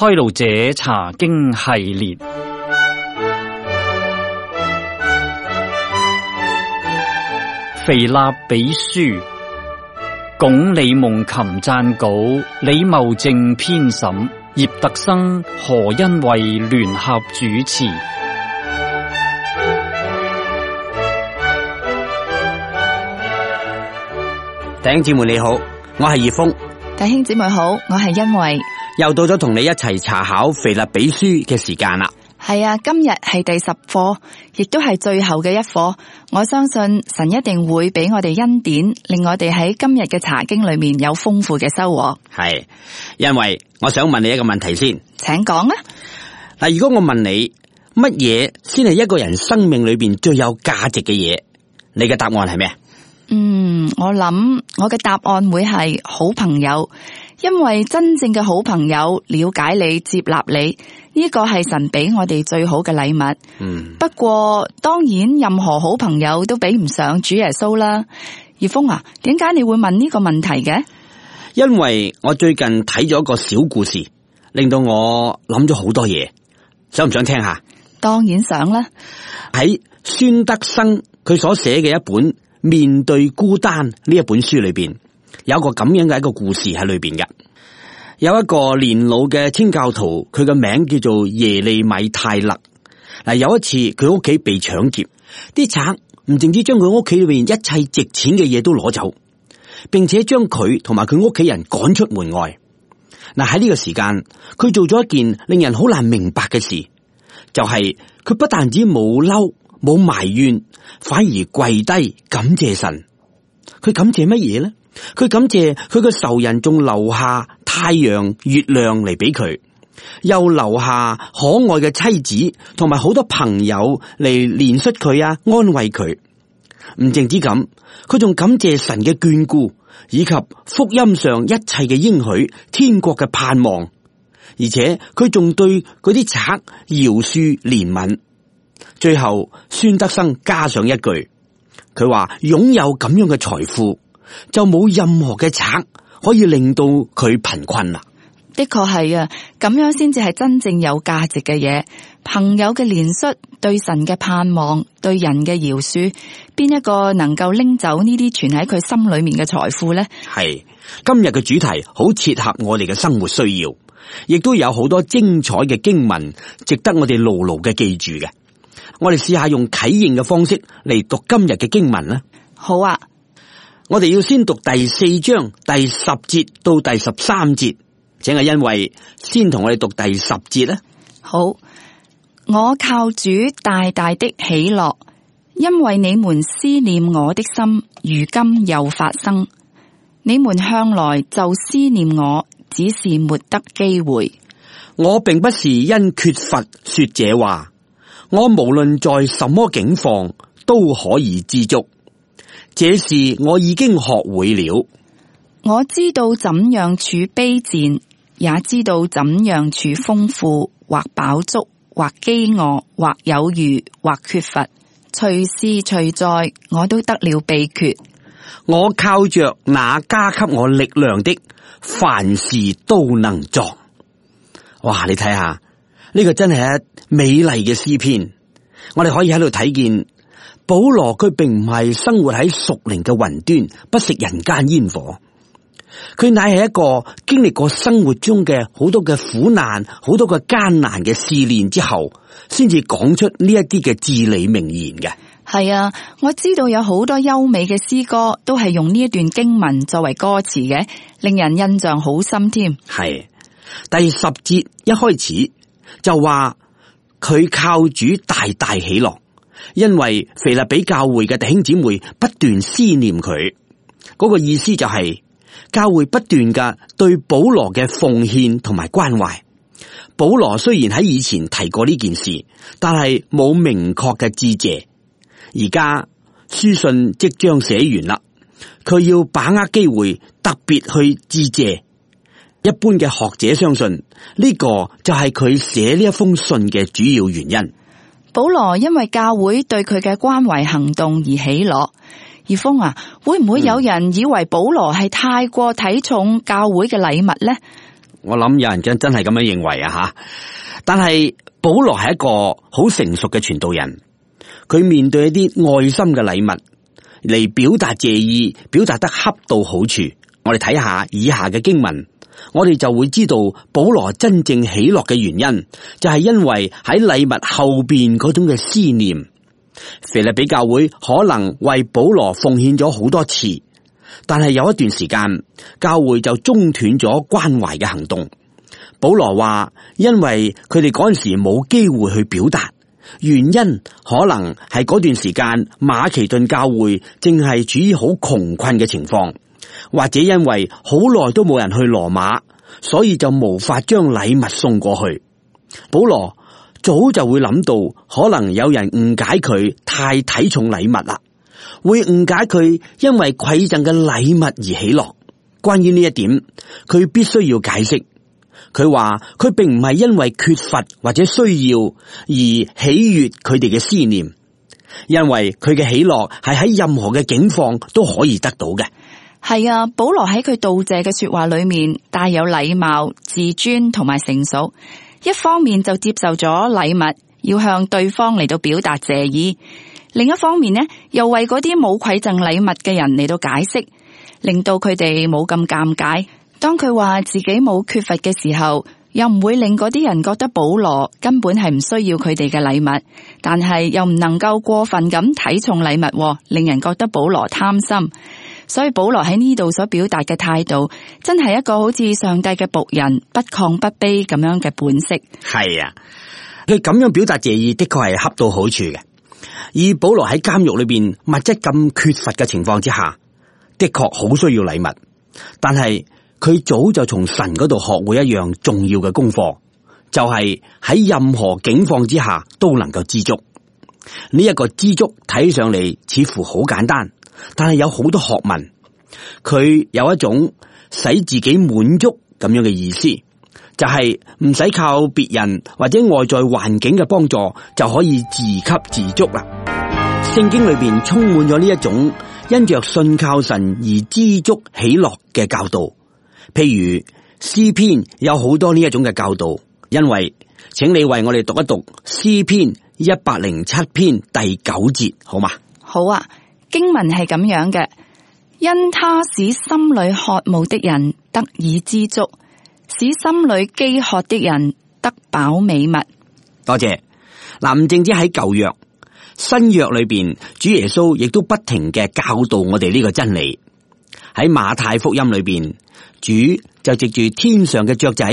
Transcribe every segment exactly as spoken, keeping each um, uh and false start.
開路者查經系列，腓立比書，鞏李夢琴撰稿，李茂正編審，葉特生、何恩惠聯合主持。弟兄姊妹你好，我係葉峰。弟兄姊妹好，我係恩惠。又到咗同你一齊查考腓立比書嘅時間啦。係啊，今日係第十課，亦都係最後嘅一課。我相信神一定會俾我哋恩典，令我哋喺今日嘅查經裏面有豐富嘅收穫。係，因為我想問你一個問題先，請講啊。嗱，如果我問你乜嘢先係一個人生命裏邊最有價值嘅嘢，你嘅答案係咩？嗯，我諗我嘅答案會係好朋友，因為真正嘅好朋友了解你、接納你，呢個係神俾我哋最好嘅禮物。嗯，不過當然任何好朋友都比唔上主耶穌啦。葉峰啊，點解你會問呢個問題嘅？因為我最近睇咗一個小故事，令到我諗咗好多嘢，想唔想聽下？當然想啦。喺孫德生佢所寫嘅一本面對孤單呢一本書裏邊，有一個咁樣嘅一個故事喺裏邊嘅。有一個年老嘅清教徒，佢嘅名叫做耶利米泰勒。嗱，有一次佢屋企被搶劫，啲賊唔淨止將佢屋企裏邊一切值錢嘅嘢都攞走，並且將佢同埋佢屋企人趕出門外。嗱，喺呢個時間，佢做咗一件令人好難明白嘅事，就係佢不但止冇嬲冇埋怨，反而跪低感謝神。佢感謝乜嘢呢？佢感謝佢個仇人仲留下太陽、月亮嚟俾佢，又留下可愛嘅妻子同埋好多朋友嚟憐恤佢啊，安慰佢。唔淨止咁，佢仲感謝神嘅眷顧，以及福音上一切嘅應許、天國嘅盼望。而且佢仲對嗰啲賊饒恕憐憫。最後孫德生加上一句，佢話擁有咁樣嘅財富，就冇任何嘅賊可以令到佢貧困啦。的確係啊，咁樣先至係真正有價值嘅嘢。朋友嘅憐恤，對神嘅盼望，對人嘅饒恕，邊一個能夠拎走呢啲存喺佢心裏面嘅財富呢？係今日嘅主題好切合我哋嘅生活需要，亦都有好多精彩嘅經文，值得我哋牢牢嘅記住嘅。我哋試下用啟應嘅方式嚟讀今日嘅經文啦。好啊，我哋要先讀第四章第十節到第十三節，請阿恩惠先同我哋讀第十節啦。好，我靠主大大的喜樂，因為你們思念我的心，如今又發生。你們向來就思念我，只是沒得機會。我並不是因缺乏說這話。我無論在什麼境況都可以知足，這事我已經學會了。我知道怎樣處卑賤，也知道怎樣處豐富，或飽足，或飢餓，或有餘，或缺乏，隨時隨在，我都得了秘訣。我靠着那加給我力量的，凡事都能作。哇！你睇下。呢個真係一美麗嘅詩篇，我哋可以喺度睇見保羅佢並唔係生活喺屬靈嘅雲端，不食人間煙火。佢乃係一個經歷過生活中嘅好多嘅苦難、好多嘅艱難嘅試煉之後，先至講出呢一啲嘅至理名言嘅。係啊，我知道有好多優美嘅詩歌都係用呢一段經文作為歌詞嘅，令人印象好深添。係第十節一開始。就話佢靠主大大喜樂，因為腓立比教會嘅弟兄姊妹不斷思念佢。嗰個意思就係教會不斷嘅對保羅嘅奉獻同埋關懷。保羅雖然喺以前提過呢件事，但係冇明確嘅致謝。而家書信即將寫完啦，佢要把握機會特別去致謝。一般嘅學者相信呢個就係佢寫呢一封信嘅主要原因。保羅因為教會對佢嘅關懷行動而喜樂。葉峰啊，會唔會有人以為保羅係太過睇重教會嘅禮物呢？我諗有人真真係咁樣認為啊吓。但係保羅係一個好成熟嘅傳道人，佢面對一啲愛心嘅禮物嚟表達謝意，表達得恰到好處。我哋睇下以下嘅經文，我哋就會知道保羅真正喜樂嘅原因，就係因為喺禮物後邊嗰種嘅思念。腓立比教會可能為保羅奉獻咗好多次，但係有一段時間教會就中斷咗關懷嘅行動。保羅話，因為佢哋嗰陣時冇機會去表達，原因可能係嗰段時間馬其頓教會正係處於好窮困嘅情況，或者因為好耐都冇人去羅馬，所以就無法將禮物送過去。保羅早就會諗到，可能有人誤解佢太睇重禮物啦，會誤解佢因為饋贈嘅禮物而喜樂。關於呢一點，佢必須要解釋。佢話佢並唔係因為缺乏或者需要而喜悅佢哋嘅思念，因為佢嘅喜樂係喺任何嘅境況都可以得到嘅。係啊，保羅喺佢道謝嘅說話裏面帶有禮貌、自尊同埋成熟。一方面就接受咗禮物，要向對方嚟到表達謝意；另一方面呢，又為嗰啲冇饋贈禮物嘅人嚟到解釋，令到佢哋冇咁尷尬。當佢話自己冇缺乏嘅時候，又唔會令嗰啲人覺得保羅根本係唔需要佢哋嘅禮物，但係又唔能夠過分咁睇重禮物，令人覺得保羅貪心。所以保羅喺呢度所表達嘅態度，真係一個好似上帝嘅僕人，不亢不卑咁樣嘅本色。係啊，佢咁樣表達謝意的確係恰到好處嘅。以保羅喺監獄裏邊物質咁缺乏嘅情況之下，的確好需要禮物，但係佢早就從神嗰度學會一樣重要嘅功課，就係喺任何境況之下都能夠知足。呢一個知足睇上嚟似乎好簡單，但係有好多學問。佢有一種使自己滿足咁樣嘅意思，就係唔使靠別人或者外在環境嘅幫助就可以自給自足啦。聖經裏邊充滿咗呢一種因着信靠神而知足喜樂嘅教導。譬如詩篇有好多呢一種嘅教導，因為請你為我哋讀一讀詩篇一百零七篇第九節，好嗎？好啊，經文係咁樣嘅：因他使心裏渴慕的人得以知足，使心裏飢渴的人得飽美物。多謝。嗱，唔淨止喺舊約，新約裏邊，主耶穌亦都不停嘅教導我哋呢個真理。喺馬太福音裏邊，主就藉住天上嘅雀仔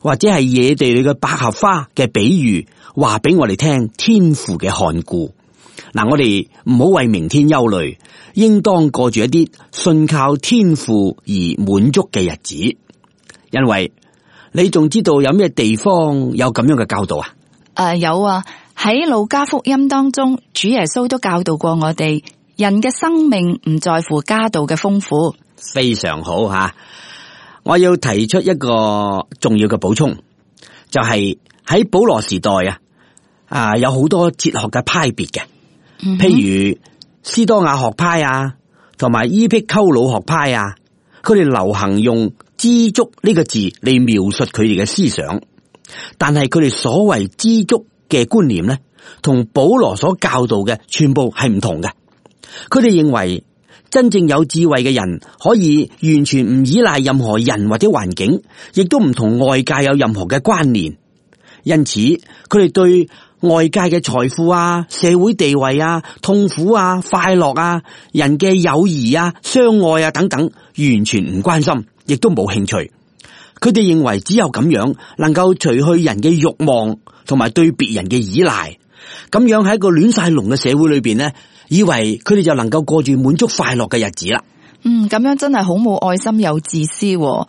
或者係野地裏嘅百合花嘅比喻，話俾我哋聽天父嘅看顧。嗱，我哋唔好為明天憂慮，應當過住一啲信靠天父而滿足嘅日子。因為你仲知道有咩地方有咁樣嘅教導啊？誒、呃，有啊，喺路加福音當中，主耶穌都教導過我哋，人嘅生命唔在乎家道嘅豐富。非常好吓，我要提出一個重要嘅補充，就係、是、喺保羅時代啊，啊有好多哲學嘅派別嘅，嗯、譬如斯多亞學派啊，同埋伊壁鳩魯學派啊，佢哋流行用知足呢個字嚟描述佢哋嘅思想，但係佢哋所謂知足嘅觀念咧，同保羅所教導嘅全部係唔同嘅。佢哋認為真正有智慧嘅人可以完全唔依賴任何人或者環境，亦都唔同外界有任何嘅關聯。因此，佢哋對外界嘅財富啊、社會地位啊、痛苦啊、快樂啊、人嘅友誼啊、相愛啊等等，完全唔關心，亦都冇興趣。佢哋認為只有咁樣能夠除去人嘅慾望同埋對別人嘅依賴。咁樣喺一個亂晒龍嘅社會裏邊呢，以為佢哋就能夠過住滿足快樂嘅日子啦。嗯，咁樣真係好冇愛心又自私。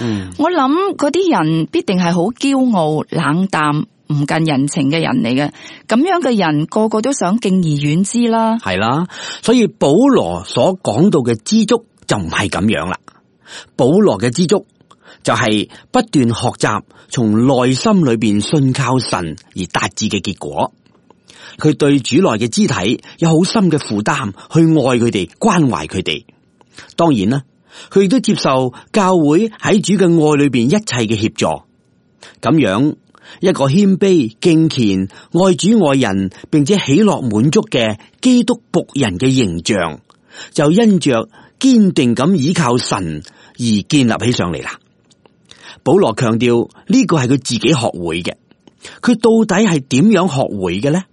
嗯，我諗嗰啲人必定係好驕傲、冷淡、唔近人情嘅人嚟嘅。咁樣嘅人個個都想敬而遠之啦。係啦，所以保羅所講到嘅知足就唔係咁樣啦。保羅嘅知足就係不斷學習從內心裏邊信靠神而達至嘅結果。佢對主內嘅肢體有好深嘅負擔，去愛佢哋，關懷佢哋。當然啦，佢亦都接受教會喺主嘅愛裏邊一切嘅協助，咁樣一個謙卑、敬虔、愛主愛人，並且喜樂滿足嘅基督僕人嘅形象，就因着堅定咁依靠神而建立起上嚟啦。保羅強調呢個係佢自己學會嘅，佢到底係點樣學會嘅呢？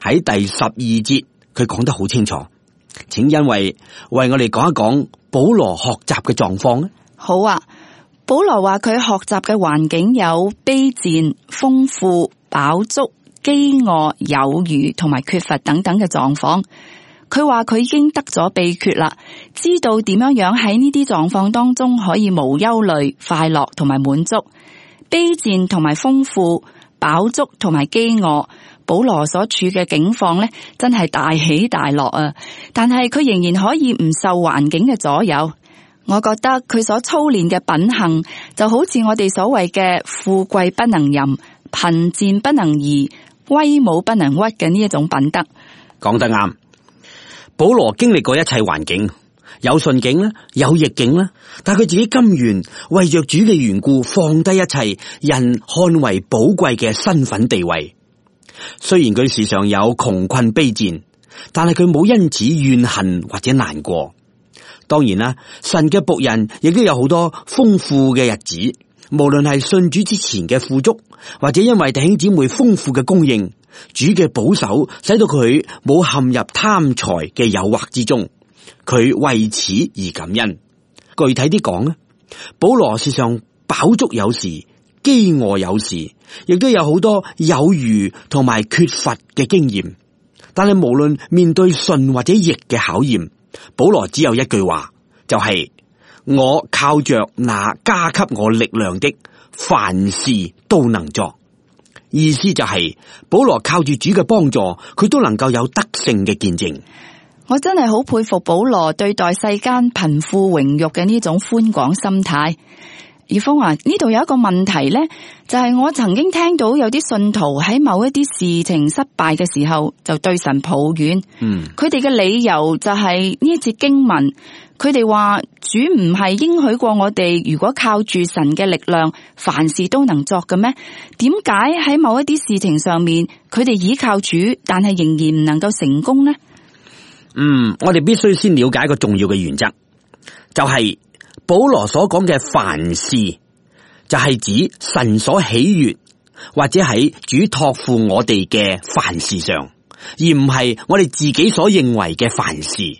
喺第十二節佢講得好清楚，請因為為我哋講一講保羅學習嘅狀況咧。好啊，保羅話佢學習嘅環境有卑賤、豐富、飽足、飢餓、有餘同埋缺乏等等嘅狀況。佢話佢已經得咗秘訣啦，知道點樣樣喺呢啲狀況當中可以無憂慮、快樂同埋滿足。卑賤同埋豐富、飽足同埋飢餓，保羅所處嘅境況呢，真係大起大落啊！但係佢仍然可以唔受環境嘅左右。我覺得佢所操練嘅品行，就好似我哋所謂嘅富貴不能淫、貧賤不能移、威武不能屈嘅呢一種品德。講得啱。保羅經歷過一切環境，有順境啦，有逆境啦，但佢自己甘願為着主嘅緣故，放低一切人看為寶貴嘅身份地位。雖然佢時常有窮困卑賤，但係佢冇因此怨恨或者難過。當然啦，神嘅僕人亦都有好多豐富嘅日子，無論係信主之前嘅富足，或者因為弟兄姊妹豐富嘅供應，主嘅保守使到佢冇陷入貪財嘅誘惑之中，佢為此而感恩。具體啲講咧，保羅事上飽足有時，飢餓有時，亦都有好多有餘同埋缺乏嘅經驗。但係無論面對順或者逆嘅考驗，保羅只有一句話，就係、是、我靠着那加給我力量的，凡事都能作。意思就係、是、保羅靠住主嘅幫助，佢都能夠有得勝嘅見證。我真係好佩服保羅對待世間貧富榮辱嘅呢種寬廣心態。葉峰話呢度有一個問題呢，就係、是、我曾經聽到有啲信徒喺某一啲事情失敗嘅時候就對神抱怨，嗯，佢哋嘅理由就係呢一節經文，佢哋話主唔係應許過我哋如果靠住神嘅力量凡事都能作嘅咩？點解喺某一啲事情上面佢哋倚靠主，但係仍然唔能夠成功呢？嗯，我哋必須先了解一個重要嘅原則，就係、是保羅所講嘅凡事，就係指神所喜悅或者喺主託付我哋嘅凡事上，而唔係我哋自己所認為嘅凡事。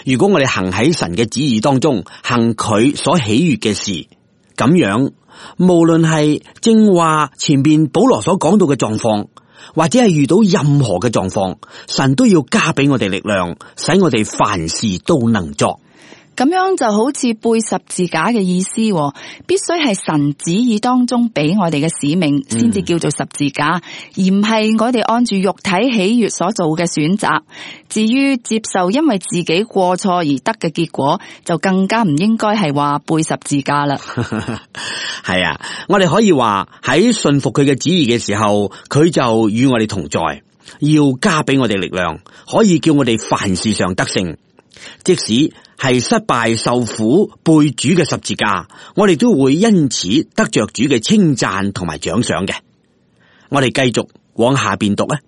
如果我哋行喺神嘅旨意當中，行佢所喜悅嘅事，咁樣無論係正話前邊保羅所講到嘅狀況，或者係遇到任何嘅狀況，神都要加俾我哋力量，使我哋凡事都能作。咁樣就好似背十字架嘅意思，必須係神旨意當中俾我哋嘅使命，先至叫做十字架，嗯、而唔係我哋按住肉體喜悅所做嘅選擇。至於接受因為自己過錯而得嘅結果，就更加唔應該係話背十字架啦。係啊，我哋可以話喺信服佢嘅旨意嘅時候，佢就與我哋同在，要加俾我哋力量，可以叫我哋凡事上得勝。即使係失敗受苦背主嘅十字架，我哋都會因此得着主嘅稱讚同埋獎賞嘅。我哋繼續往下邊讀啊！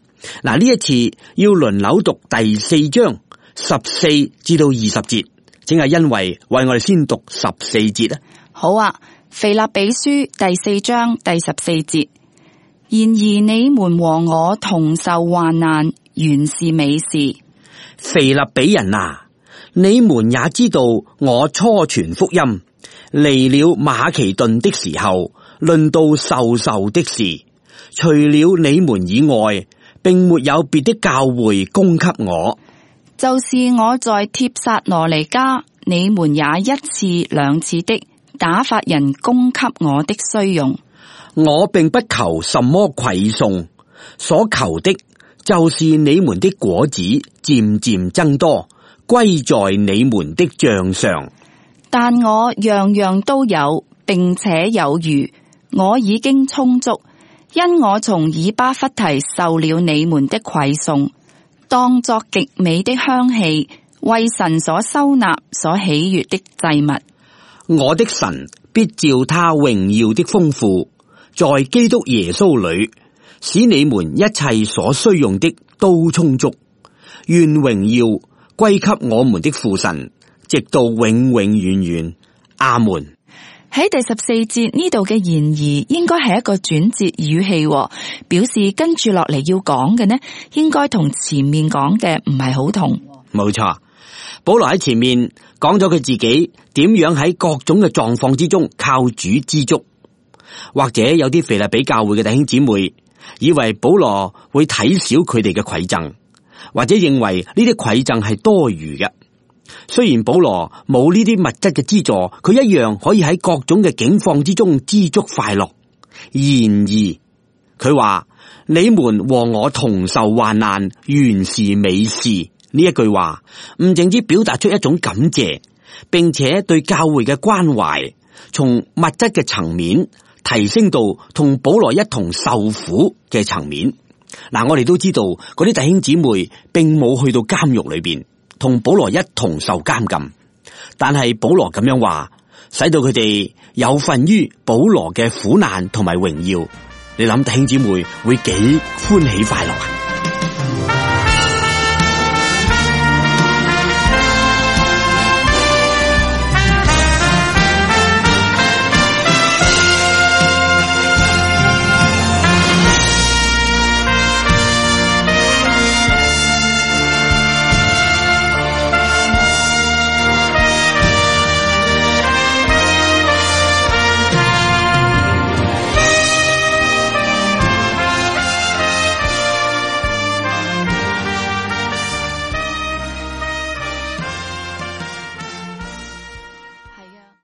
嗱，呢一次要輪流讀第四章十四至到二十節，請係因為為我哋先讀十四節啊。好啊，腓立比書第四章第十四節，然而你們和我同受患難，原是美事。腓立比人啊，你們也知道，我初傳福音離了馬其頓的時候，論到授受的事，除了你們以外，並沒有別的教會供給我。就是我在帖撒羅尼迦，你們也一次兩次的打發人供給我的需用。我並不求什麼饋送，所求的就是你們的果子漸漸增多，歸在你們的賬上。但我樣樣都有，並且有餘，我已經充足，因我從以巴弗提受了你們的饋送，當作極美的香氣，為神所收納、所喜悅的祭物。我的神必照他榮耀的豐富，在基督耶穌裏，使你們一切所需用的都充足。願榮耀歸給我們的父神，直到永永遠遠。阿門。喺第十四節呢度嘅言而應該係一個轉折語氣，表示跟住落嚟要講嘅呢，應該同前面講嘅唔係好同。冇錯，保羅喺前面講咗佢自己點樣喺各種嘅狀況之中靠主知足。或者有啲腓立比教會嘅弟兄姊妹以為保羅會睇小佢哋嘅饋贈，或者認為呢啲饋贈係多餘嘅。雖然保羅冇呢啲物質嘅資助，佢一樣可以喺各種嘅境況之中知足快樂。然而佢話你們和我同受患難，原是美事。呢一句話唔淨止表達出一種感謝，並且對教會嘅關懷，從物質嘅層面提升到同保羅一同受苦嘅層面。嗱，我哋都知道嗰啲弟兄姊妹並冇去到監獄裏邊同保羅一同受監禁，但係保羅咁樣話，使到佢哋有份於保羅嘅苦難同埋榮耀。你諗弟兄姊妹會幾歡喜快樂啊？